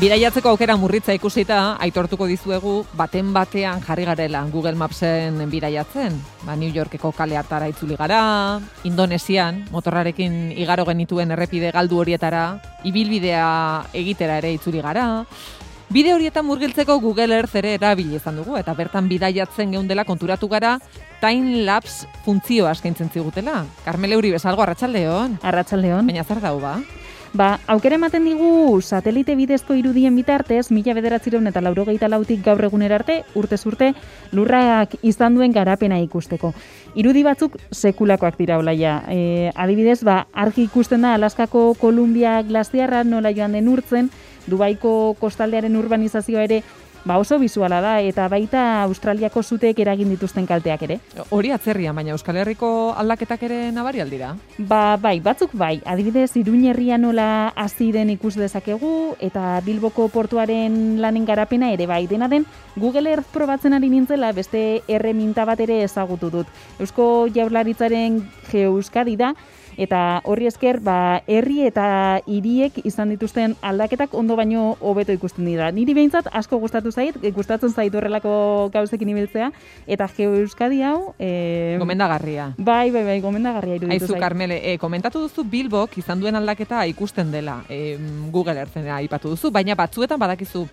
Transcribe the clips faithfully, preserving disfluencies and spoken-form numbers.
Bidaiatzeko aukera murritza ikusita, aitortuko dizuegu baten batean jarri garela Google Mapsen bidaiatzen. Ba, New Yorkeko kale hartara itzuli gara, Indonesian, motorrarekin igaro genituen errepide galdu horietara, ibilbidea egitera ere itzuli gara. Bide horietan murgiltzeko Google Earth ere erabili izan dugu, eta bertan bidaiatzen geundela konturatu gara time-lapse funtzioa eskaintzen zigutela. Karmele Uri bezalgo, arratsaldeon. Arratsaldeon. Baina zer dau, ba? Ba, aukera ematen digu satelite bidezko irudien bitartez, mila bederatziehun eta laurogeita lautik gaur egunera arte, urtez urte, lurrak izan duen garapena ikusteko. Irudi batzuk sekulakoak dira olaia. E, adibidez, ba, argi ikusten da Alaskako Kolumbia glaziarra nola joan den urtzen, Dubaiko kostaldearen urbanizazioa ere ba oso bisuala da, eta baita Australiako zuteek eragin dituzten kalteak ere. Hori atzerrian, baina Euskal Herriko aldaketak ere nabari aldira? Ba, bai, batzuk bai. Adibidez, Iruñerria nola hasi den ikus dezakegu, eta Bilboko portuaren lanen garapena ere bai. Dena den, Google Earth probatzen ari nintzela beste erreminta bat ere ezagutu dut. Eusko Jaurlaritzaren GeoEuskadi da, eta horri esker, ba, herri eta hiriek izan dituzten aldaketak ondo baino hobeto ikusten dira. Niri behintzat asko gustatu zait, gustatzen zait horrelako gauzekin ibiltzea, eta GeoEuskadi hau... E... Gomendagarria. Bai, bai, bai, gomendagarria iruditu zait. Aizu, Karmele, e, komentatu duzu Bilbok izan duen aldaketa ikusten dela, e, Google Earthena aipatu duzu, baina batzuetan badakizu,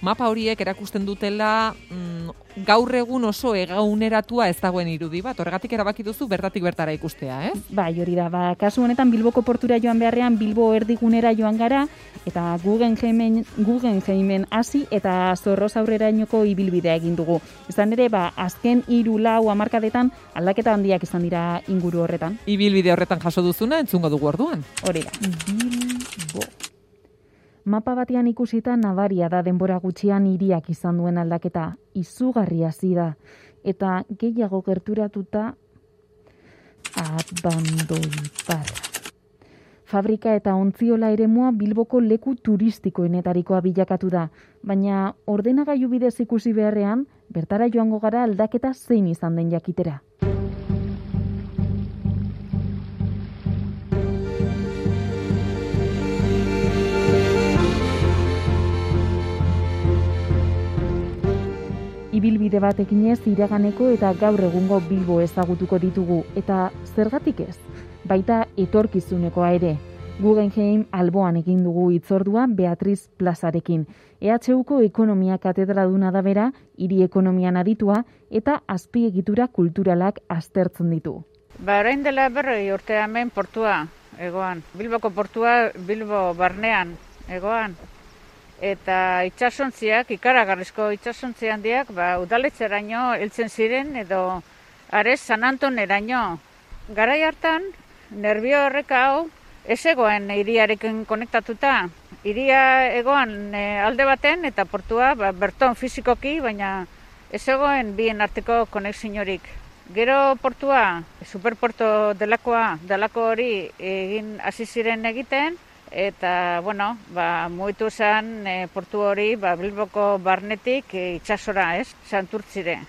mapa horiek erakusten dutela mm, gaur egun oso egauneratua ez dagoen irudi bat. Horregatik erabaki duzu bertatik bertara ikustea, ez? Bai, hori da. Ba, kasu honetan Bilboko portura joan beharrean Bilbo erdigunera joan gara, eta Guggenheimen, Guggenheimen hasi eta Zorroz aurrerainoko ibilbidea egin dugu. Izan ere, ba, azken hiru lau hamarkadetan aldaketa handiak izan dira inguru horretan. Ibilbide horretan jaso duzuna entzungo dugu orduan. Hori da. Bilbo. Mapa batean ikusita nabaria da denbora gutxian hiriak izan duen aldaketa, izugarria hasi da, eta gehiago gerturatuta abandoibar. Fabrika eta ontziola eremua Bilboko leku turistikoenetarikoa bilakatu da, baina ordenagailu bidez ikusi beharrean, bertara joango gara aldaketa zein izan den jakitera. Ibilbide bat eginez iraganeko eta gaur egungo Bilbo ezagutuko ditugu, eta zergatik ez? Baita etorkizunekoa ere. Guggenheim alboan egin dugu hitzordua Beatriz Plazarekin. E H Uko ekonomia katedraduna da bera, hiri ekonomian aditua eta azpiegitura kulturalak aztertzen ditu. Ba, orain dela berroi urte hemen portua egoan. Bilboko portua Bilbo barnean egoan. Eta itsasontziak, ikaragarrizko itsasontzi handiak, ba, udaletxeraino heltzen ziren edo Ares San Antoneraino. Garai hartan, Nerbio horreka hau ez egoen hiriarekin konektatuta. Hiria egoan e, alde baten eta portua ba, berton fizikoki, baina ez egoen bien arteko konexiorik. Gero portua, superporto delakoa, delako hori egin hasi ziren egiten, eta, bueno, ba, mugitu zen e, portu hori ba, Bilboko barnetik e, itsasora, ez, Santurtzire.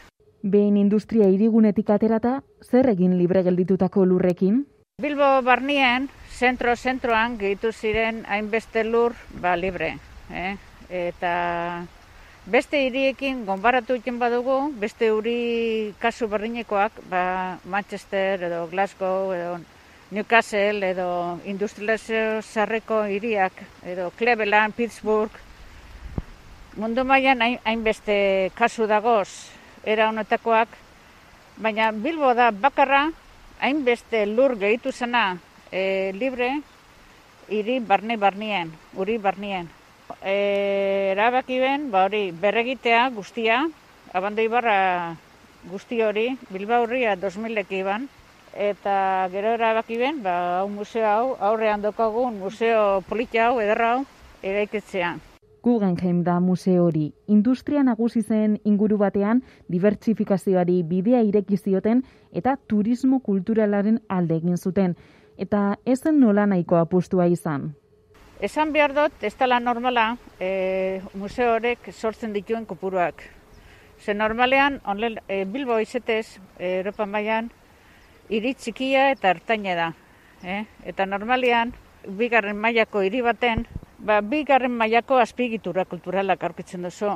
Behin industria hirigunetik aterata, zer egin libre gelditutako lurrekin? Bilbo barnien, zentro-zentroan gehitu ziren hainbeste lur ba, libre. Eh? Eta beste hiriekin gonbaratu egin badugu, beste hiri kasu berdinekoak, ba, Manchester edo Glasgow edo Newcastle edo industrializazio zarreko hiriak, edo Cleveland, Pittsburgh. Mundu mailan hainbeste kasu dagoz era honetakoak, baina Bilbo da bakarra hainbeste lur gehitu zena e, libre hiri barne barnien, uri barnien. E, erabaki ben, ba hori, berregitea guztia, Abandoibarra guzti hori, Bilbaurria dos milek iban, eta gero erabaki ben, ba, hau museo hau, aurrean dokagun museo polita hau, ederra hau, eraikitzea. Guggenheim da museo hori. Industria nagusi zen inguru batean dibertsifikazioari bidea ireki zioten eta turismo kulturalaren alde egin zuten. Eta ez zen nola nahiko apustua izan. Esan behar dut, ez dela normala e, museo horrek sortzen dituen kopuruak. Ze normalean, onle, e, Bilbo izetez, e, Europa mailan, hiri txikia eta ertaina da. Eh? Eta normalean, bigarren mailako hiri baten, ba, bigarren mailako azpiegitura kulturalak aurkitzen duzu.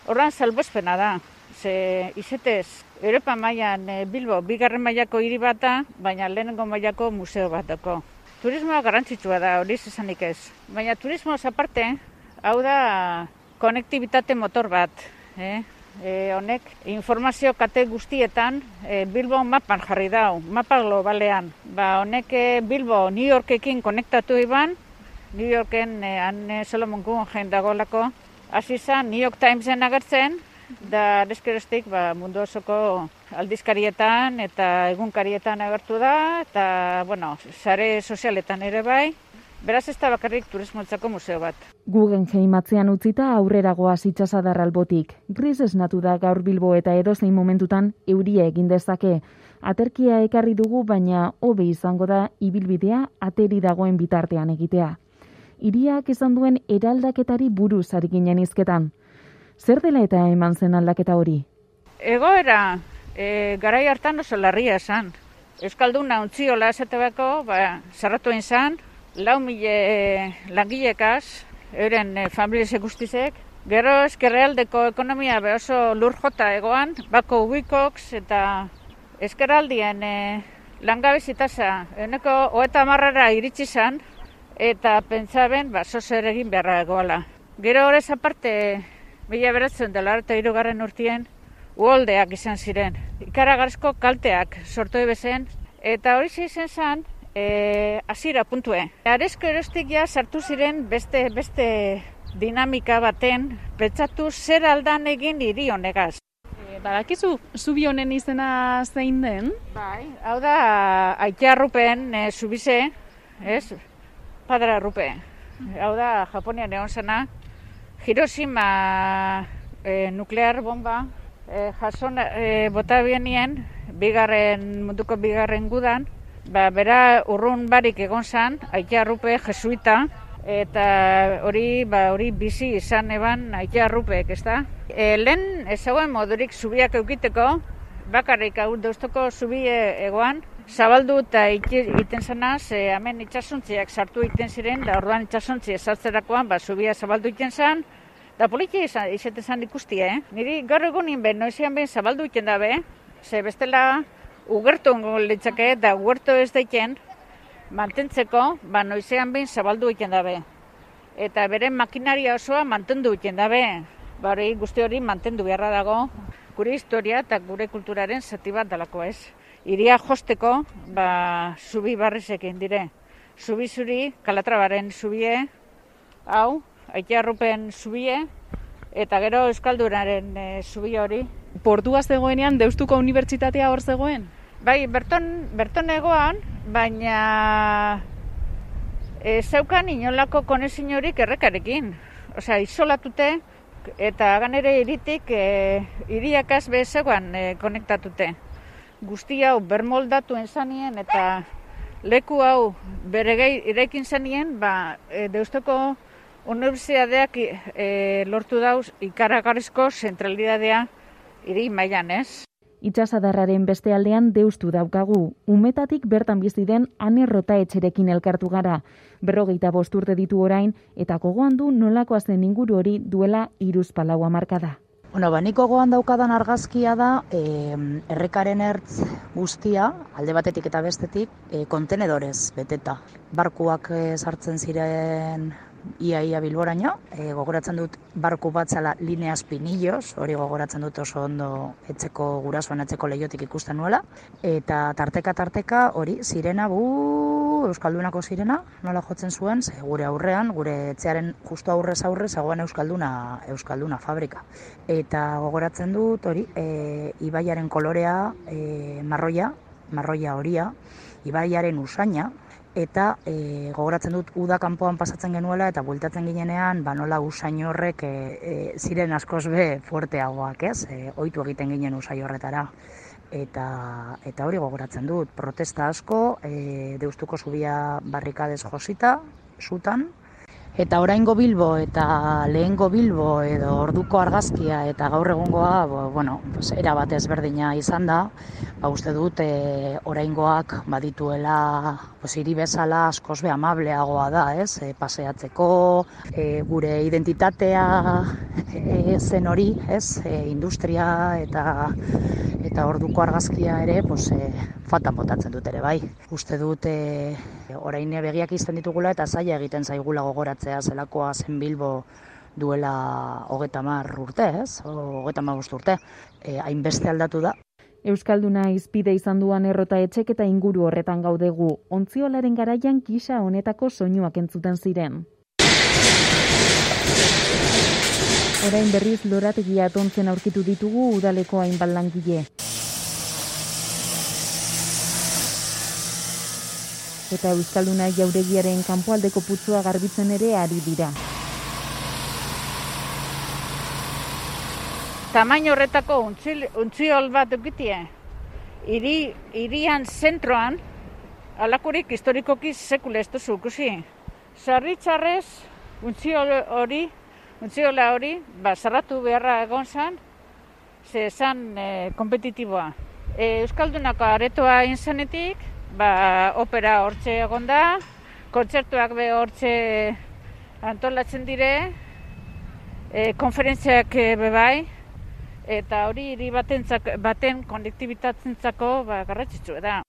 Horran salbuespena da, ze izetez, Europa mailan e, Bilbo bigarren mailako hiri bat da, baina lehenengo mailako museo bat dako. Turismoa garrantzitsua da, hori esanik ez. Baina turismoaz aparte, hau da konektibitate motor bat. Eh? E, honek informazio kate guztietan e, Bilbo mapan jarri dau, mapa globalean. Ba, honek e, Bilbo New Yorkekin konektatu iban, New Yorken e, han e, Solomon Guggenheim dagoelako. Hasi izan New York Timesen agertzen, da deskerostik ba, mundu osoko aldizkarietan eta egunkarietan agertu da, eta bueno, sare sozialetan ere bai. Beraz ez da bakarrik turismoentzako museo bat. Guggenheim atzean utzita aurrera goaz itsasadar albotik. Gris esnatu da gaur Bilbo eta edozein momentutan euria egin dezake. Aterkia ekarri dugu, baina hobe izango da ibilbidea ateri dagoen bitartean egitea. Hiriak izan duen eraldaketari buruz ari ginen hizketan. Zer dela eta eman zen aldaketa hori? Egoera, e, garai hartan oso larria esan. Euskalduna untziola esatebako, ba, zarratu izan, lau mile langilekaz, euren e, familiese guztizek. Gero ezkerrealdeko ekonomia be oso lur jota egoan, bako ubikoks eta ezkerraldien e, langabezi tasa ehuneko hogeita hamarra iritsi izan, eta pentsaben ba, zozer egin beharra egoala. Gero horrez aparte, mila bederatziehun eta laurogeita hirugarren urtien, uholdeak izan ziren. Ikaragarrizko kalteak sortu ebezen, eta hori izan zen, e, hasiera puntue. Arezko erostik ja sartu ziren beste, beste dinamika baten, pentsatu zer aldan egin hiri honegaz. E, badakizu, zubi honen izena zein den? Bai, hau da, Aitiarrupen e, zubize, ez? Padre Arrupe. Hau da, Japonian egon zena, Hiroshima e, nuklear bomba e, jason e, bota bienien, bigarren, munduko bigarren gudan, ba, bera urrun barik egon zan, Aitiarrupe jesuita, eta hori ba, hori bizi izan eban Aitiarrupek, ez da? E, lehen ezagoen modurik zubiak eukiteko, bakarrik hau deustoko zubi egoan, zabaldu eta egiten zena, ze hemen itxasuntziak sartu egiten ziren, da orduan itxasuntzi ezartzerakoan, ba, zubia zabaldu egiten zen, da politia izate zen ikusti, eh? Niri gaur egunin ben, noizean ben zabaldu egiten dabe, ze bestela ugertu ongo litzake, da ugertu ez daiken, mantentzeko, ba, noizean ben zabaldu egiten dabe. Eta bere makinaria osoa mantendu egiten dabe, ba, hori guzti hori mantendu beharra dago, gure historia eta gure kulturaren zati bat dalako ez. Iria josteko, ba, zubi barrizekin dire. Zubi zuri, Kalatrabaren zubie, hau, Aitiarrupen zubie, eta gero Euskaldunaren e, zubi hori. Portua zegoenean, Deustuko Unibertsitatea hor zegoen? Bai, berton, berton egoan, baina e, zeukan inolako konexin horik errekarekin. Osea, isolatute, eta ganere iritik, e, iriakaz bezegoan e, konektatute. Guzti hau bermoldatuen zanien eta leku hau beregei irekin zanien, ba, e, Deustoko Unibertsitateak e, lortu dauz ikaragarrizko zentralidadea hiri mailan, ez? Itsasadarraren beste aldean Deustu daukagu. Umetatik bertan bizi den Ane Rotaetxerekin elkartu gara. Berrogeita bost urte ditu orain, eta gogoan du nolakoa zen inguru hori duela hiruzpalau hamarkada. Bueno, ba, nik gogoan daukadan argazkia da, e, errekaren ertz guztia, alde batetik eta bestetik, e, kontenedorez beteta. Barkuak e, sartzen ziren ia-ia Bilboraino, e, gogoratzen dut barku bat zela Lineas Pinillos, hori gogoratzen dut oso ondo etzeko gurasoan etzeko lehiotik ikusten nuela, eta tarteka-tarteka hori sirena, bu, Euskaldunako sirena, nola jotzen zuen, ze gure aurrean, gure etxearen justu aurrez aurre zegoen Euskalduna, Euskalduna fabrika. Eta gogoratzen dut hori, e, ibaiaren kolorea, e, marroia, marroia horia, ibaiaren usaina, eta e, gogoratzen dut uda kanpoan pasatzen genuela eta bueltatzen ginenean, ba nola usain horrek e, e, ziren askoz be fuerteagoak, ez? E, ohitu egiten ginen usai horretara. Eta, eta hori gogoratzen dut, protesta asko, e, Deustuko zubia barrikadez josita, sutan, Eta oraingo Bilbo eta lehengo Bilbo edo orduko argazkia eta gaur egungoa, bueno, pues, era bat ezberdina izan da. Ba, uste dut e, oraingoak badituela pues, hiri bezala askoz be amableagoa da, ez? E, paseatzeko, e, gure identitatea e, zen hori, ez? E, industria eta eta orduko argazkia ere, pues, e, fatan botatzen dut ere, bai. Uste dut e, orain begiak izten ditugula eta zaila egiten zaigula gogoratzea zelakoa zen Bilbo duela hogeta hamar urte, ez? Hogeta hamabost urte. E, hainbeste aldatu da. Euskalduna izpide izan duan errota etxek eta inguru horretan gaudegu. Ontziolaren garaian gisa honetako soinuak entzuten ziren. Orain berriz lorategia atontzen aurkitu ditugu udaleko hainbat langile. Eta Euskalduna jauregiaren kanpoaldeko putzua garbitzen ere ari dira. Tamaino horretako untziol bat dukitie. Iri, irian zentroan, alakurik historikoki sekule ez duzu ikusi. Sarritzarrez, untziol hori, untziola hori, ba, zarratu beharra egon zan, ze zan e, kompetitiboa. E, Euskaldunako aretoa inzanetik, ba, opera hortxe egon da, kontzertuak be hortxe antolatzen dire, e, konferentziak be bai, eta hori hiri baten konektibitazentzako ba, garrantzitsua da.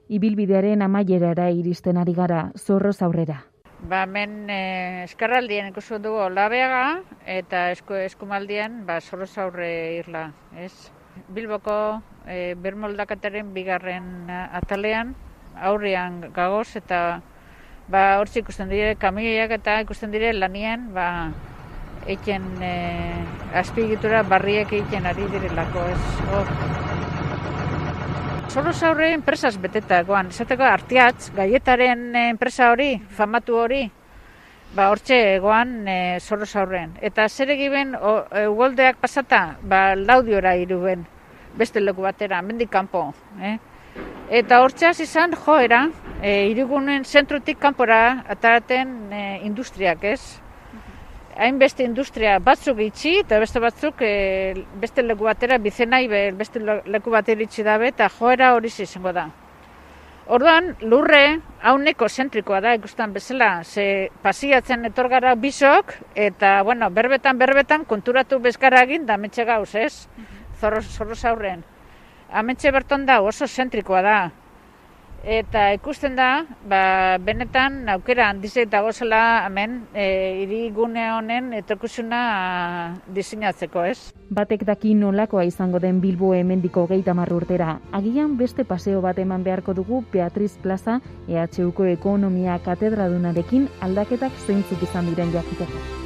Ibilbidearen amaierara iristen ari gara, Zorroz aurrera. Ba, hemen e, eskarraldien ikusten dugu Labeaga eta esku, eskumaldien ba, Zorroz aurre irla, ez? Bilboko e, bermoldakataren bigarren atalean, aurrean gagoz eta ba, hortzi ikusten dire kamioiak eta ikusten dire lanien ba, eiken e, azpiegitura barriek eiken ari direlako, ez? Oh. Zorroz aurre enpresaz beteta egoan, esateko Artiatz, gaietaren enpresa hori, famatu hori, ba hortxe egoan e, Zorroz aurren. Eta zer egiben ugoldeak pasata, ba Laudiora iruben, beste leku batera, mendik kanpo. Eh? Eta hortxeaz izan joera, e, irigunen zentrotik kanpora ataraten e, industriak, ez? Hainbeste industria batzuk itxi eta beste batzuk e, beste leku batera bizenai be, beste leku batera itxi dabe eta joera hori izango da. Orduan lurre hauneko zentrikoa da ikusten bezala, ze pasiatzen etorgara bisok eta bueno, berbetan berbetan konturatu bezkara egin da ametxe gauz, ez? Zorroz, Zorroz aurren. Ametxe berton da oso zentrikoa da. Eta ikusten da, ba, benetan aukera handizek dagozela hemen e, hirigune honen etorkizuna diseinatzeko, ez? Batek daki nolakoa izango den Bilbo hemendiko hogeita hamar urtera. Agian beste paseo bat eman beharko dugu Beatriz Plaza E H Uko ekonomia katedradunarekin aldaketak zeintzuk izan diren jakiteko.